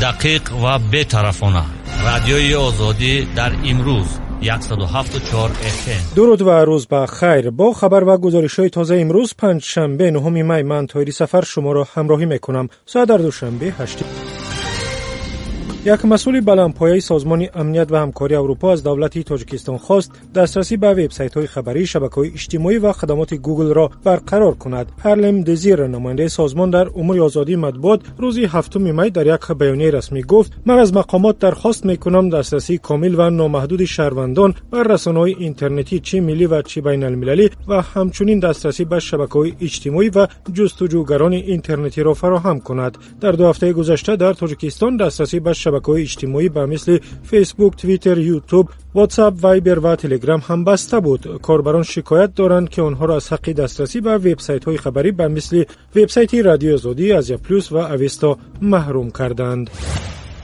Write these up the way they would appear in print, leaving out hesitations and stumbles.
Дақиқ ва бетарафона. Радиои Озодӣ дар имрӯз 107.4 FM. Дуруд ва рӯз ба хайр. Бо хабар ва гузоришҳои тоза имрӯз панҷшанбе, 9 май, ман Тоҳири Сафар шуморо ҳамроҳӣ мекунам. Соат дар Душанбе 8. Як масъули баландпояи Созмони амният ва ҳамкории Аврупо аз давлати Тоҷикистон хост дастрасӣ ба вебсайтҳои хабарӣ, шабакаҳои иҷтимоӣ ва хадамоти Гуглро барқарор кунад. Ҳарлем Дезир, намояндаи созмон дар умури озодии матбуот, рӯзи 7 май дар як баёнияи расмӣ гуфт: ман аз мақомот дархост мекунам дастрасии комил ва номаҳдуди шаҳрвандон ба расонаҳои интернетӣ, чӣ миллӣ ва чӣ байналмилалӣ, ва ҳамчунин дастрасӣ ба шабакаҳои иҷтимоӣ ва ҷустуҷӯгарони интернетиро фароҳам кунад. Дар 2 ҳафтаи гузашта дар Тоҷикистон дастрасӣ ба шабакаҳои иҷтимоӣ ба мисли Фейсбук, Твиттер, Ютуб, Ватсап, Вайбер ва Телеграм ҳам баста буд. Корбарон шикоят доранд, ки онҳоро аз ҳаққи дастрасӣ ба вебсайтҳои хабарӣ ба мисли вебсайти Радиои Озодӣ, Азия Плюс ва Авесто маҳрум карданд.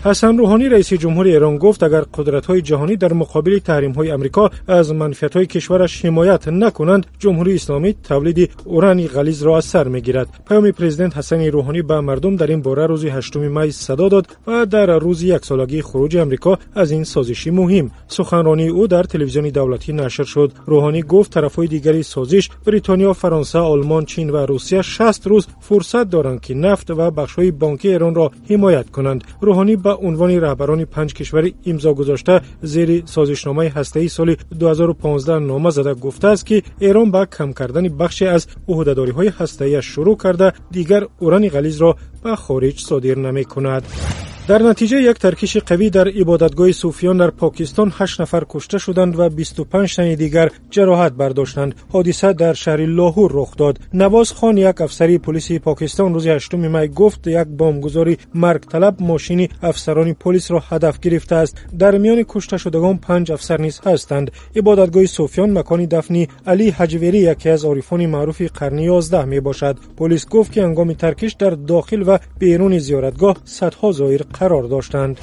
Ҳасан Рӯҳонӣ, раиси ҷумҳури Эрон, гуфт агар қудратҳои ҷаҳонӣ дар муқобили таҳримҳои Амрико аз манфиатҳои кишвараш ҳимоят накунанд, Ҷумҳурии Исломӣ тавлиди урани ғализро аз сар мегирад. Паёми президент Ҳасани Рӯҳонӣ ба мардум дар ин бора рӯзи 8 май садо дод ва дар рӯзи яксолагии хуруҷи Амрико аз ин созиши муҳим. Суханронии ӯ дар телевизиони давлатӣ нашр шуд. Рӯҳонӣ гуфт тарафҳои дигари созиш Бритониё, Фаронса, Олмон, Чин ва Русия 60 рӯз фурсат доранд, ки нафт ва бахшҳои бонкии Эронро ҳимоят кунанд. Рӯҳонӣ ба унвони раҳбарони 5 кишвари имзо гузошта зери созишномаи ҳастаии соли 2015 нома зада гуфтааст, ки Эрон ба кам кардани бахше аз ӯҳдадориҳои ҳастаиаш шурӯъ карда, дигар урани ғализро ба хориҷ содир намекунад. Дар натиҷаи як таркиши қавӣ дар ибодатгоҳи суфиён дар Покистон 8 нафар кушта шуданд ва 25 тани дигар ҷароҳат бардоштанд. Ҳодиса дар шаҳри Лоҳур рух дод. Навоз Хон, як афсари полиси Покистон, рӯзи 8 май гуфт як бомбгузори маргталаб мошини афсарони полисро ҳадаф гирифтааст. Дар миёни кушташудагон 5 афсар низ ҳастанд. Ибодатгоҳи суфиён макони дафни Али Ҳаҷверӣ, яке аз орифони маъруфи қарни 11 мебошад. Полис гуфт, ки ҳангоми таркиш дар дохил ва беруни зиёратгоҳ садҳо зоир қарор доштанд.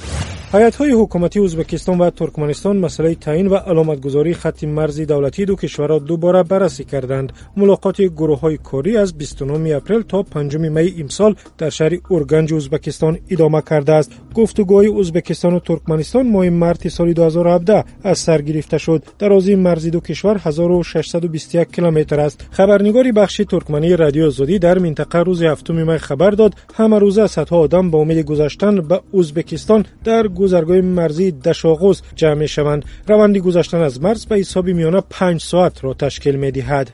Ҳайатҳои ҳукуматии Ӯзбекистон ва Туркманистон масъалаи таъин ва аломатгузории хатти марзи давлатии ду кишварро дубора баррасӣ карданд. Мулоқоти гурӯҳҳои корӣ аз 29 апрел то 5 майи имсол дар шаҳри Урганҷи Ӯзбекистон идома кардааст. Гуфтугӯҳои Ӯзбекистону Туркманистон моҳи марти соли 2017 аз сар гирифта шуд. Дарозии марзи ду кишвар 1621 километр аст. Хабарнигори бахши туркмании Радиои Озодӣ дар минтақа рӯзи 7 май хабар дод, ҳамарӯза садҳо одам ба умеди гузаштан ба Ӯзбекистон дар гузаргоҳи марзии Дашоғуз ҷамъ мешаванд. Раванди гузаштан аз марз ба ҳисоби миёна 5 соатро ташкил медиҳад.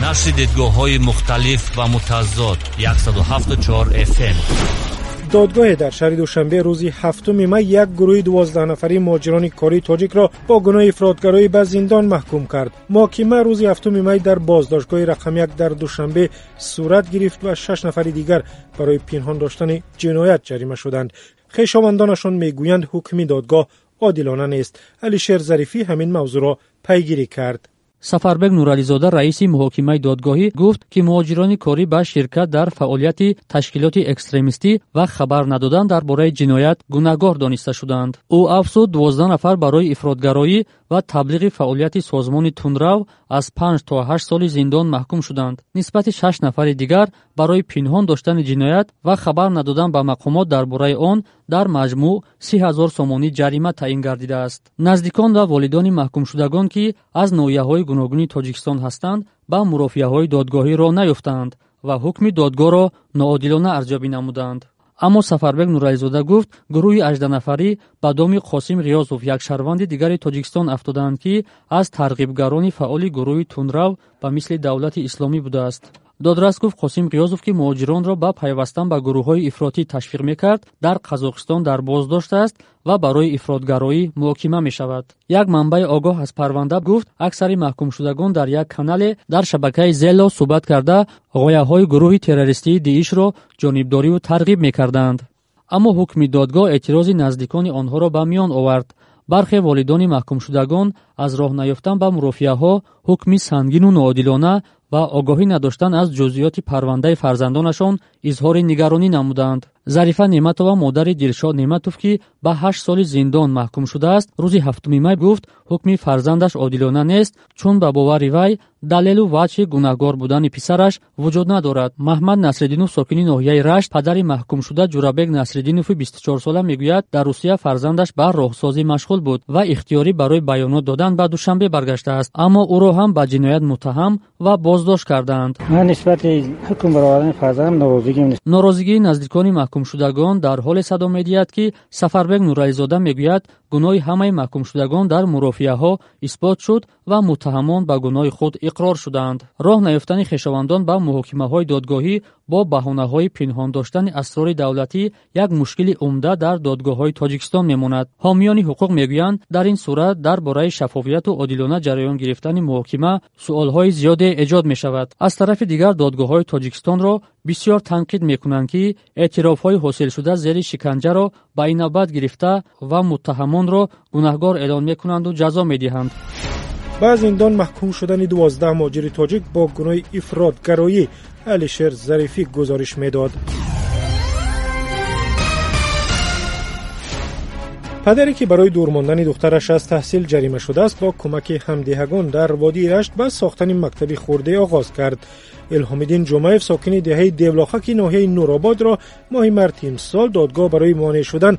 Нашри дидгоҳҳои мухталиф ва мутазод 107.4 FM. Додгоҳе дар шаҳри Душанбе рӯзи 7 май як гурӯҳи 12 нафари муҳоҷирони кории тоҷикро бо гуноҳи ифротгароӣ ба зиндон маҳкум кард. Муҳокима рӯзи 7 май дар боздоштгоҳи рақами 1 дар Душанбе сурат гирифт ва 6 нафари дигар барои пинҳон доштани ҷиноят ҷарима шуданд. Хешовандонашон мегӯянд ҳукми додгоҳ одилона нест. Алишер Зарифӣ ҳамин мавзӯъро пайгирӣ кард. Сафарбек Нурализода, раиси муҳокимаи додгоҳӣ, гуфт, ки муҳоҷирони корӣ ба ширкат дар фаъолияти ташкилоти экстремистӣ ва хабар надодан дар бораи ҷиноят гунаҳгор дониста шуданд. Ӯ афзуд, 12 нафар барои ифротгароӣ ва таблиғи фаъолияти созмони тундрав аз 5 то 8 соли зиндон маҳкум шуданд. Нисбати 6 нафари дигар барои пинҳон доштани ҷиноят ва хабар надодан ба мақомот дар бораи он дар маҷмӯъ 30 000 сомонӣ ҷарима таъин гардидааст. Наздикон ва волидони маҳкумшудагон, ки аз ноҳияҳои гуногуни Тоҷикистон ҳастанд, ба мурофиаҳои додгоҳӣ роҳ наёфтанд ва ҳукми додгоҳро ноодилона арзёбӣ намуданд. Аммо Сафарбек Нурализода гуфт, гурӯҳи 18 нафарӣ ба доми Қосим Ғиёзов, як шаҳрванди дигари Тоҷикистон, афтоданд, ки аз тарғибгарони фаъоли гурӯҳи тундрав ба мисли Давлати Исломӣ будааст. Додрас гуфт, Қосим Ғиёзов, ки муҳоҷиронро ба пайвастан ба гурӯҳҳои ифротӣ ташвиқ мекард, дар Қазоқистон дар боздошт аст ва барои ифротгароӣ муҳокима мешавад. Як манбаи огоҳ аз парванда гуфт, аксари маҳкумшудагон дар як канале дар шабакаи Зело суҳбат карда, ғояҳои гурӯҳи террористии Диишро ҷонибдориву тарғиб мекарданд. Аммо ҳукми додгоҳ эътирози наздикони онҳоро ба миён овард. Бархе волидони маҳкумшудагон аз роҳ наёфтан ба мурофиаҳо, ҳукми сангину ноодилона ва огоҳӣ надоштан аз ҷузъиёти парвандаи фарзандонашон изҳори нигаронӣ намуданд. Зарифа Неъматова, модари Дилшод Неъматов, ки ба 8 соли зиндон маҳкум шудааст, рӯзи 7 май гуфт, ҳукми фарзандаш одилона нест, чун ба бовари вай далелу ваҷҳи гунаҳгор будани писараш вуҷуд надорад. Маҳмад Насриддинов, сокини ноҳияи Рашт, падари маҳкумшуда Ҷурабек Насриддинови 24сола мегӯяд, дар Русия фарзандаш ба роҳсозӣ машғул буд ва ихтиёрӣ барои баёнот додан ба Душанбе баргаштааст, аммо ӯро ҳам ба ҷиноят муттаҳам ва боздошт кардаанд. Ман нисбати ҳукм баровардани фарзандам норозигиам. Норозигии наздикони маҳкумшудагон дар ҳоле садо медиҳад, ки Сафарбек Нурализода мегӯяд, гуноҳи ҳамаи маҳкумшудагон дар мурофиаҳо исбот шуд ва муттаҳамон ба гуноҳи худ иқрор шуданд. Роҳ наёфтани хешовандон ба муҳокимаҳои додгоҳӣ бо баҳонаҳои пинҳон доштани асрори давлатӣ як мушкили умда дар додгоҳҳои Тоҷикистон мемонад. Ҳомиёни ҳуқуқ мегӯянд, дар ин сурат дар бораи шаффофияту одилона ҷараён гирифтани муҳокима суолҳои зиёде эҷод мешавад. Аз тарафи дигар, додгоҳҳои Тоҷикистонро бисёр танқид мекунанд, ки эътирофҳои ҳосилшуда зери шиканҷаро ба инобат гирифта ва муттаҳамонро гунаҳгор эълон мекунанду ҷазо медиҳанд. Ба зиндон маҳкум шудани 12 муҳоҷири тоҷик бо гуноҳи ифротгароӣ Алишер Зарифӣ гузориш медод. Падаре, ки барои дур мондани духтараш аз таҳсил ҷарима шудааст, бо кӯмаки ҳамдеҳагон дар водии Рашт ба сохтани мактаби хурде оғоз кард. Илҳомиддин Ҷумаев, сокини деҳаи Девлохаки ноҳияи Нурободро моҳи марти имсол додгоҳ барои монеъ шудан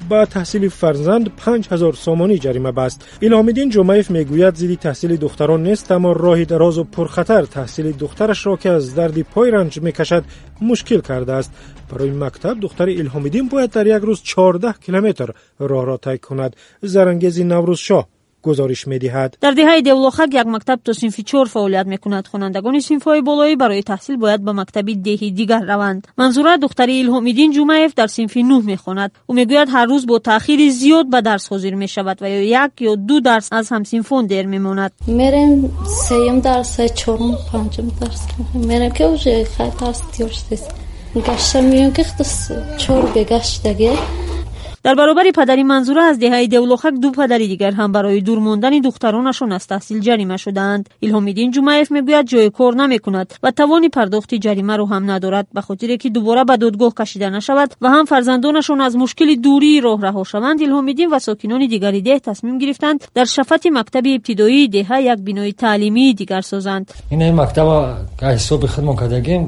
ба таҳсили фарзанд 5000 сомонӣ ҷарима баст. Илҳомиддин Ҷумаев мегӯяд, зидди таҳсили духтарон нест, аммо роҳи дарозу пурхатар таҳсили духтарашро, ки аз дарди пой ранҷ мекашад, мушкил кардааст. Барои мактаб духтари Илҳомиддин бояд дар як рӯз 14 километр роҳро тай кунад. Зарангези Наврӯзшоҳ гузориш медиҳад. Дар деҳаи Девлохак як мактаб то синфи 4 фаъолият мекунад. Хонандагони синфҳои болоӣ барои таҳсил бояд ба мактаби деҳи дигар раванд. Манзура, духтари Илҳомиддин Ҷумаев, дар синфи 9 мехонад. Ӯ мегӯяд, ҳар рӯз бо таъхири зиёд ба дарс ҳозир мешавад ва ё як ё ду дарс аз ҳамсинфон дер мемонад. Мерем сеюм дарс, чорум, панҷум дарс мерем, ки уже хай дарс тиёр шудааст. Гашта меём, ки чор бегаштаге. Дар баробари падари Манзура аз деҳаи Девлохак ду падари дигар ҳам барои дур мондани духтаронашон аз таҳсил ҷарима шудаанд. Илҳомиддин Ҷумаев мегӯяд, ҷои кор намекунад ва тавони пардохти ҷаримаро ҳам надорад. Ба хотире ки дубора ба додгоҳ кашида нашавад ва ҳам фарзандонашон аз мушкили дурии роҳ раҳо шаванд, Илҳомиддин ва сокинони дигари деҳ тасмим гирифтанд, дар шафати мактаби ибтидоии деҳа як бинои таълимии дигар созанд. Ин мактаба ҳисоби худмон кардагим,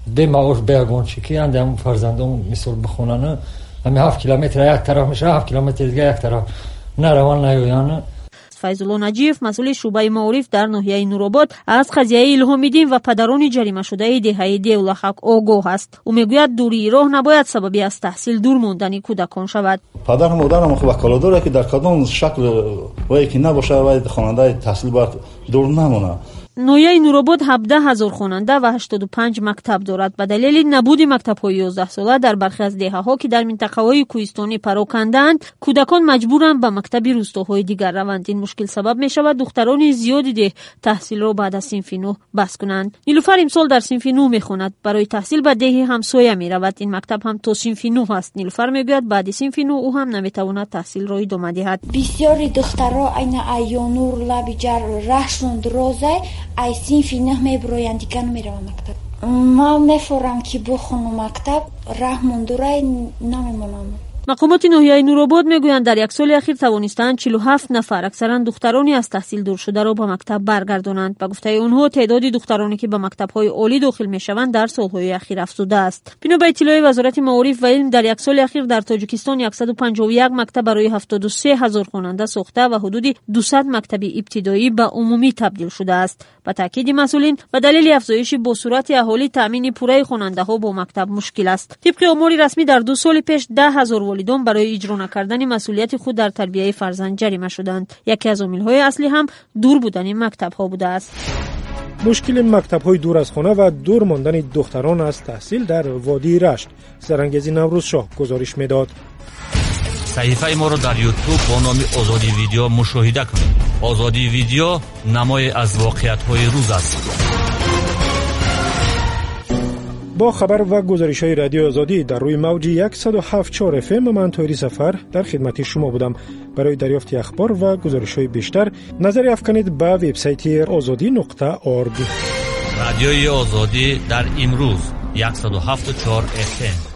бемаош, беягончи ки андам фарзандон мисол бихонанд. Ҳами 7 километр як тараф мешавад, 7 километр дига як тараф, нараван, наёян. Файзулло Наҷиев, масъули шӯъбаи маориф дар ноҳияи Нуробод, аз қазияи Илҳомиддин ва падарони ҷаримашудаи деҳаи Девлахак огоҳ аст. Ӯ мегӯяд, дурии роҳ набояд сабаби аз таҳсил дур мондани кӯдакон шавад. Падару модарам ваколат дорад, ки дар кадом шакл вае ки набошад, вай хонандаи таҳсил бояд дур намонад. Ноҳияи Нуробод 17 ҳазор хонанда ва 85 мактаб дорад. Ба далели набуди мактабҳои 11сола дар бархе аз деҳаҳо, ки дар минтақаҳои кӯҳистонӣ парокандаанд, кӯдакон маҷбуранд ба мактаби рӯстоҳои дигар раванд. Ин мушкил сабаб мешавад, духтарони зиёди деҳ таҳсилро баъд аз синфи 9 бас кунанд. Нилуфар имсол дар синфи 9 мехонад. Барои таҳсил ба деҳи ҳамсоя меравад. Ин мактаб ҳам то синфи 9 аст. Нилуфар мегӯяд, баъди синфи 9 ӯ ҳам наметавонад таҳсилро идома диҳад. Бисёри духтаро айна Айёнур, Лабиҷар раҳшон дурозай, ай синфи 9 мебироянд, дигар намераванд мактаб. Ман мефорам, ки бихонам мактаб, раҳ мондурай намемонам. Мақомоти ноҳияи Нуробод мегӯянд, дар як соли ахир тавонистаанд 47 нафар, аксаран духтарони аз таҳсил дур шударо, ба мактаб баргардонанд. Ба гуфтаи онҳо, теъдоди духтароне, ки ба мактабҳои олӣ дохил мешаванд, дар солҳои ахир афзудааст. Бино ба иттилои Вазорати маориф ва илм, дар як соли ахир дар Тоҷикистон 151 мактаб барои 73 ҳазор хонанда сохта ва ҳудуди 200 мактаби ибтидоӣ ба умумӣ табдил шудааст. Ба таъкиди масъулин, ба далели афзоиши босуръати аҳолӣ таъмини пурраи хонандаҳо бо мактаб мушкил аст. Тибқи омори расмӣ, дар 2 соли пеш 10 ҳазор волидон барои иҷро накардани масъулияти худ дар тарбияи фарзанд ҷарима шуданд. Яке аз омилҳои аслӣ ҳам дур будани мактабҳо будааст. Мушкили мактабҳои дур аз хона ва дур мондани духтарон аз таҳсил дар водии Рашт Зарангези Наврӯзшоҳ гузориш медод. Саҳифаи моро дар Ютуб бо номи Озодӣ Видео мушоҳида кунед. Озодӣ Видео намое аз воқеиятҳои рӯз аст. Бо хабар ва гузоришҳои Радиои Озодӣ дар рӯи мавҷи 107,4 FM ман Тоҳири Сафар дар хидмати шумо будам. Барои дарёфти ахбор ва гузоришҳои бештар назаре афканед ба вебсайти ozodi.org. Радиои Озодӣ дар имрӯз 107,4 FM.